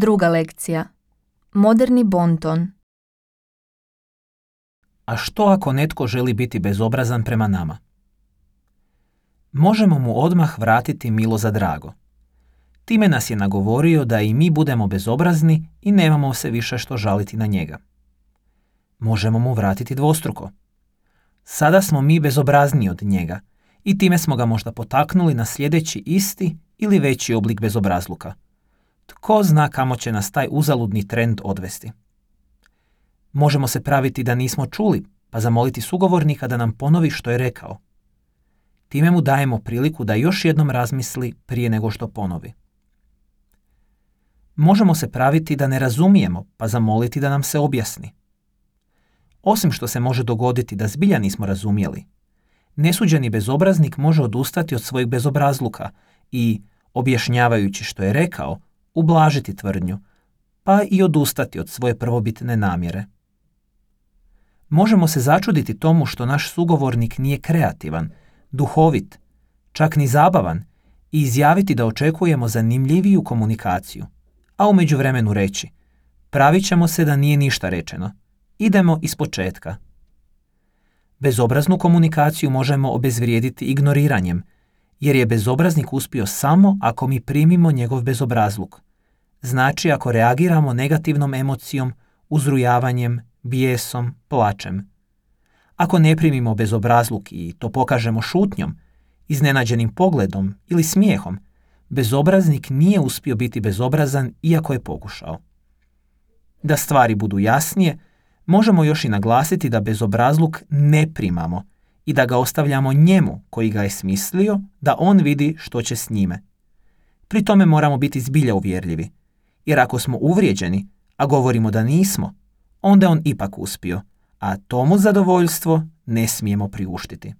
Druga lekcija. Moderni bonton. A što ako netko želi biti bezobrazan prema nama? Možemo mu odmah vratiti milo za drago. Time nas je nagovorio da i mi budemo bezobrazni i nemamo se više što žaliti na njega. Možemo mu vratiti dvostruko. Sada smo mi bezobrazniji od njega i time smo ga možda potaknuli na sljedeći isti ili veći oblik bezobrazluka. Tko zna kamo će nas taj uzaludni trend odvesti? Možemo se praviti da nismo čuli, pa zamoliti sugovornika da nam ponovi što je rekao. Time mu dajemo priliku da još jednom razmisli prije nego što ponovi. Možemo se praviti da ne razumijemo, pa zamoliti da nam se objasni. Osim što se može dogoditi da zbilja nismo razumjeli, nesuđeni bezobraznik može odustati od svojeg bezobrazluka i, objašnjavajući što je rekao, ublažiti tvrdnju, pa i odustati od svoje prvobitne namjere. Možemo se začuditi tomu što naš sugovornik nije kreativan, duhovit, čak ni zabavan i izjaviti da očekujemo zanimljiviju komunikaciju, a u međuvremenu reći: pravit ćemo se da nije ništa rečeno, idemo ispočetka. Bezobraznu komunikaciju možemo obezvrijediti ignoriranjem, jer je bezobraznik uspio samo ako mi primimo njegov bezobrazluk. Znači ako reagiramo negativnom emocijom, uzrujavanjem, bijesom, plačem. Ako ne primimo bezobrazluk i to pokažemo šutnjom, iznenađenim pogledom ili smijehom, bezobraznik nije uspio biti bezobrazan iako je pokušao. Da stvari budu jasnije, možemo još i naglasiti da bezobrazluk ne primamo i da ga ostavljamo njemu koji ga je smislio da on vidi što će s njime. Pri tome moramo biti zbilja uvjerljivi, jer ako smo uvrijeđeni, a govorimo da nismo, onda on ipak uspio, a tomu zadovoljstvo ne smijemo priuštiti.